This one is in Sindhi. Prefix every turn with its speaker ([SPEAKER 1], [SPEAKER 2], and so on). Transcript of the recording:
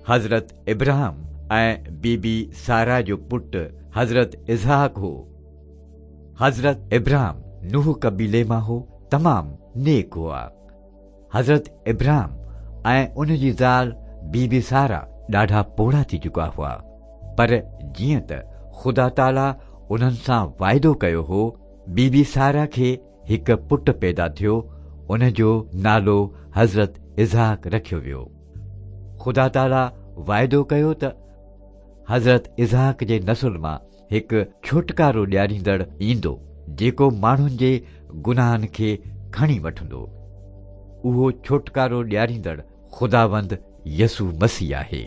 [SPEAKER 1] حضرت ابراهم ۽ بيبي سارا جو پٽ حضرت اسحاق هو. حضرت ابراهم نوح قبيلي مان هو، تمام نيڪ هئا. حضرت ابراهم ۽ ان جي زال بيبي سارا ڏاڍا پوڙها ٿي چڪا هئا، پر جيئن ته خدا تعاليٰ انهن سان واعدو ڪيو هو، بيبي سارا کي هڪ پٽ پيدا ٿيو، ان جو نالو حضرت اسحاق رکيو ويو. خدا تعاليٰ واعدو ڪيو ته حضرت اسحاق جي نسل مان هڪ ڇوٽڪارو ڏياريندڙ ايندو، جيڪو ماڻهن جي گناهن کي کڻي وٺندو. اهو ڇوٽڪارو ڏياريندڙ خداوند يسوع مسيح آهي.